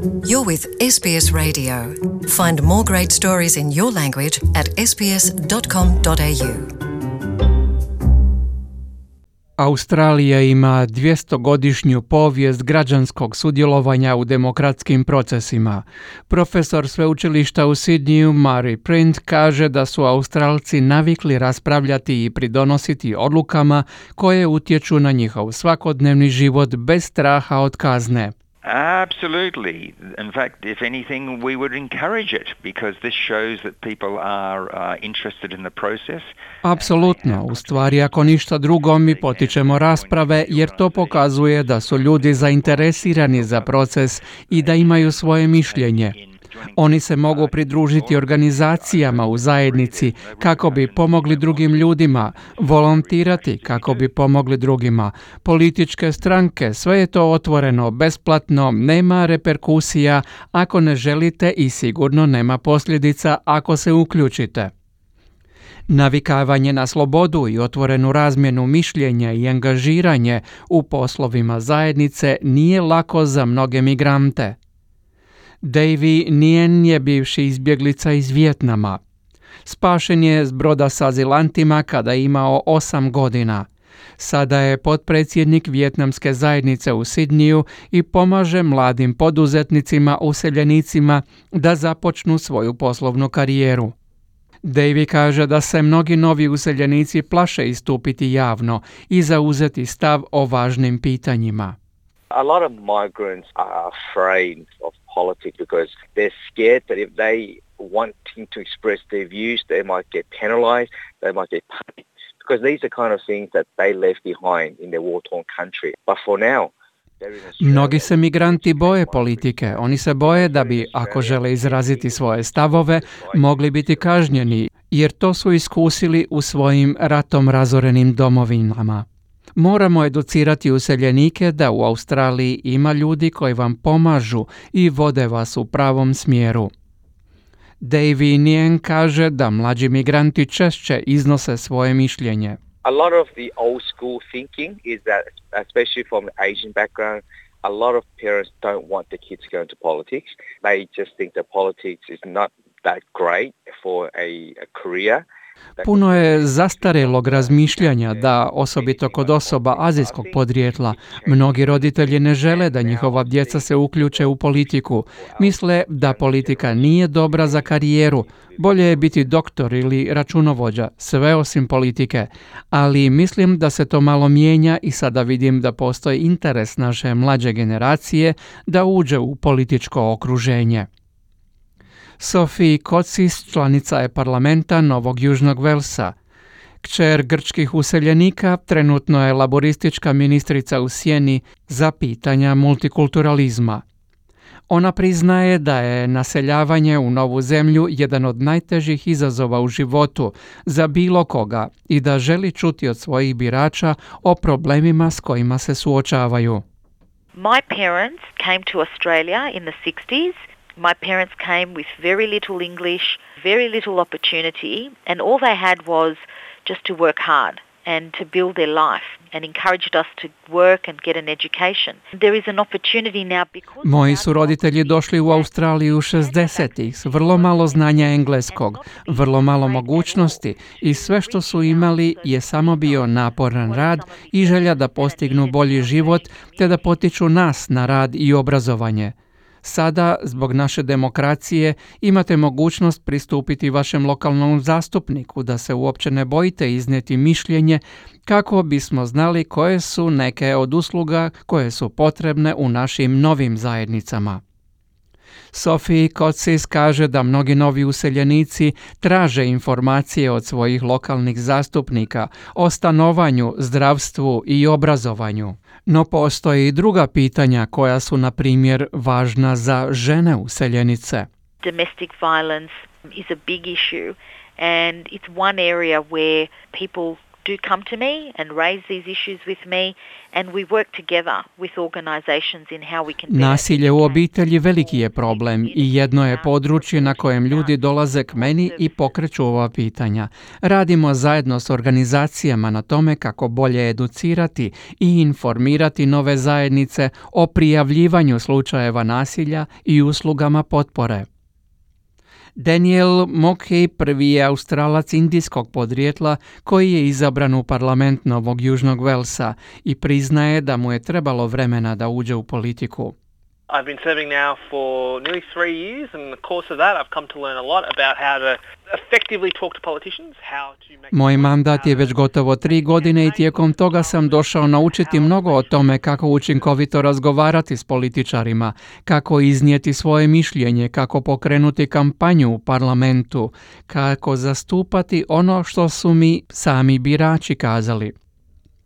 You're with SBS Radio. Find more great stories in your language at sbs.com.au. Australija ima 200-godišnju povijest građanskog sudjelovanja u demokratskim procesima. Profesor sveučilišta u Sidneyu, Murray Print, kaže da su Australci navikli raspravljati i pridonositi odlukama koje utječu na njihov svakodnevni život bez straha od kazne. Absolutely. In fact, if anything, we would encourage it because this shows that people are interested in the process. Apsolutno. U stvari, ako ništa drugo, mi potičemo rasprave jer to pokazuje da su ljudi zainteresirani za proces i da imaju svoje mišljenje. Oni se mogu pridružiti organizacijama u zajednici kako bi pomogli drugim ljudima, volontirati kako bi pomogli drugima. Političke stranke, sve je to otvoreno, besplatno, nema reperkusija ako ne želite i sigurno nema posljedica ako se uključite. Navikavanje na slobodu i otvorenu razmjenu mišljenja i angažiranje u poslovima zajednice nije lako za mnoge migrante. Davy Nguyen je bivši izbjeglica iz Vijetnama. Spašen je s broda s azilantima kada je imao 8 godina. Sada je potpredsjednik vijetnamske zajednice u Sidneyu i pomaže mladim poduzetnicima, useljenicima da započnu svoju poslovnu karijeru. Davy kaže da se mnogi novi useljenici plaše istupiti javno i zauzeti stav o važnim pitanjima. A lot of migrants are afraid of politics because they're scared that if they wanting to express their views, they might get penalized, they might get punished, because these are kind of things that they left behind in their war-torn country. But for now, mnogi se migranti boje politike. Oni se boje da bi, ako žele izraziti svoje stavove, mogli biti kažnjeni, jer to su iskusili u svojim ratom razorenim domovinama. Moramo educirati useljenike da u Australiji ima ljudi koji vam pomažu i vode vas u pravom smjeru. Davy Nguyen kaže da mlađi migranti češće iznose svoje mišljenje. A lot of the old school thinking is that, especially from an Asian background, a lot of parents don't want their kids to go into politics. They just think that politics is not that great for a career. Puno je zastarelog razmišljanja da, osobito kod osoba azijskog podrijetla, mnogi roditelji ne žele da njihova djeca se uključe u politiku. Misle da politika nije dobra za karijeru, bolje je biti doktor ili računovođa, sve osim politike. Ali mislim da se to malo mijenja i sada vidim da postoji interes naše mlađe generacije da uđe u političko okruženje. Sophie Kotsis članica je parlamenta Novog Južnog Velsa. Kćer grčkih useljenika trenutno je laboristička ministrica u sjeni za pitanja multikulturalizma. Ona priznaje da je naseljavanje u novu zemlju jedan od najtežih izazova u životu za bilo koga i da želi čuti od svojih birača o problemima s kojima se suočavaju. My parents came to Australia in the 60s. My parents came with very little English, very little opportunity, and all they had was just to work hard and to build their life and encouraged us to work and get an education. There is an opportunity now because... Moji su roditelji došli u Australiju 60-ih s vrlo malo znanja engleskog, vrlo malo mogućnosti i sve što su imali je samo bio naporan rad i želja da postignu bolji život te da potiču nas na rad i obrazovanje. Sada, zbog naše demokracije, imate mogućnost pristupiti vašem lokalnom zastupniku da se uopće ne bojite iznijeti mišljenje kako bismo znali koje su neke od usluga koje su potrebne u našim novim zajednicama. Sophie Kotsis kaže da mnogi novi useljenici traže informacije od svojih lokalnih zastupnika o stanovanju, zdravstvu i obrazovanju. No postoje i druga pitanja koja su, na primjer, važna za žene useljenice. Domestic violence is a big issue and it's one area where people do come to me and raise these issues with me, and we work together with organizations in how we can... Nasilje u obitelji veliki je problem i jedno je područje na kojem ljudi dolaze k meni i pokreću ova pitanja. Radimo zajedno s organizacijama na tome kako bolje educirati i informirati nove zajednice o prijavljivanju slučajeva nasilja i uslugama potpore. Daniel Mockey prvi je Australac indijskog podrijetla koji je izabran u parlament Novog Južnog Velsa i priznaje da mu je trebalo vremena da uđe u politiku. I've been serving now for nearly 3 years, and in the course of that I've come to learn a lot about how to effectively talk to politicians, how to make... Moj mandat je već gotovo 3 godine i tijekom toga sam došao naučiti mnogo o tome kako učinkovito razgovarati s političarima, kako iznijeti svoje mišljenje, kako pokrenuti kampanju u parlamentu, kako zastupati ono što su mi sami birači kazali.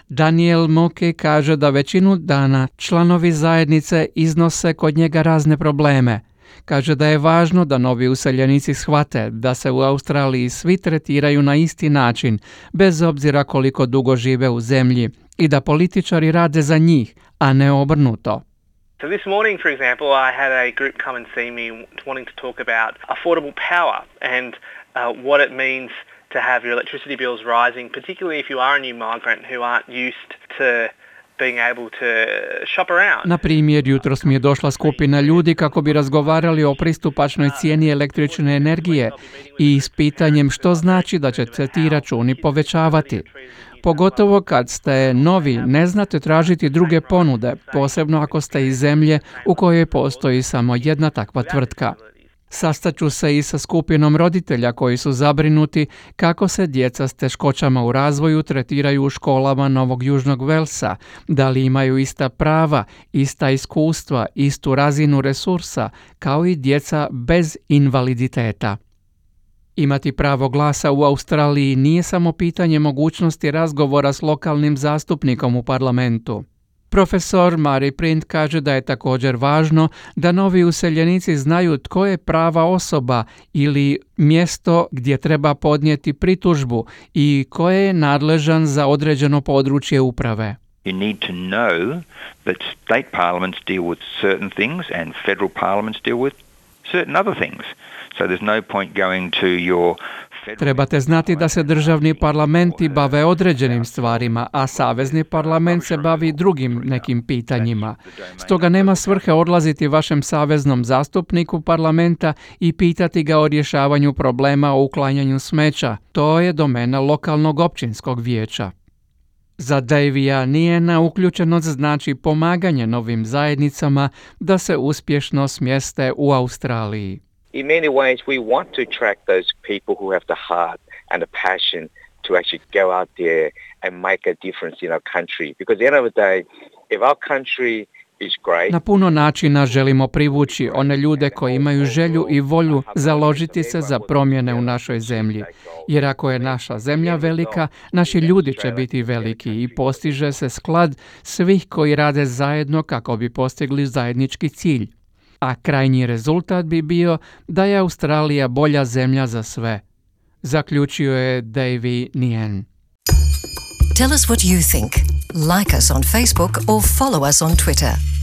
Daniel Mockey kaže da većinu dana članovi zajednice iznose kod njega razne probleme. Kaže da je važno da novi useljenici shvate da se u Australiji svi tretiraju na isti način, bez obzira koliko dugo žive u zemlji, i da političari rade za njih, a ne obrnuto. So this morning, for example, I had a group come and see me wanting to talk about affordable power and what it means to have your electricity bills rising, particularly if you are a new migrant who aren't used to being able to shop around. Na primjer, jutros mi je došla skupina ljudi kako bi razgovarali o pristupačnoj cijeni električne energije i s pitanjem što znači da će se ti računi povećavati. Pogotovo kad ste novi, ne znate tražiti druge ponude, posebno ako ste iz zemlje u kojoj postoji samo jedna takva tvrtka. Sastaću se i sa skupinom roditelja koji su zabrinuti kako se djeca s teškoćama u razvoju tretiraju u školama Novog Južnog Velsa, da li imaju ista prava, ista iskustva, istu razinu resursa, kao i djeca bez invaliditeta. Imati pravo glasa u Australiji nije samo pitanje mogućnosti razgovora s lokalnim zastupnikom u parlamentu. Profesor Mari Print kaže da je također važno da novi useljenici znaju tko je prava osoba ili mjesto gdje treba podnijeti pritužbu i ko je nadležan za određeno područje uprave. You need to know that state parliaments deal with certain things and federal parliaments deal with certain other things. So there's no point going to your... Trebate znati da se državni parlamenti bave određenim stvarima, a savezni parlament se bavi drugim nekim pitanjima. Stoga nema svrhe odlaziti vašem saveznom zastupniku parlamenta i pitati ga o rješavanju problema o uklanjanju smeća. To je domena lokalnog općinskog vijeća. Za Davija Niena uključenost znači pomaganje novim zajednicama da se uspješno smjeste u Australiji. In many ways, we want to attract those people who have the heart and the passion to actually go out there and make a difference in our country. Because at the end of the day, if our country is great... Na puno načina želimo privući one ljude koji imaju želju i volju založiti se za promjene u našoj zemlji. Jer ako je naša zemlja velika, naši ljudi će biti veliki i postiže se sklad svih koji rade zajedno kako bi postigli zajednički cilj. A krajnji rezultat bi bio da je Australija bolja zemlja za sve, zaključio je Davy Nien. Tell us what you think. Like us on Facebook or follow us on Twitter.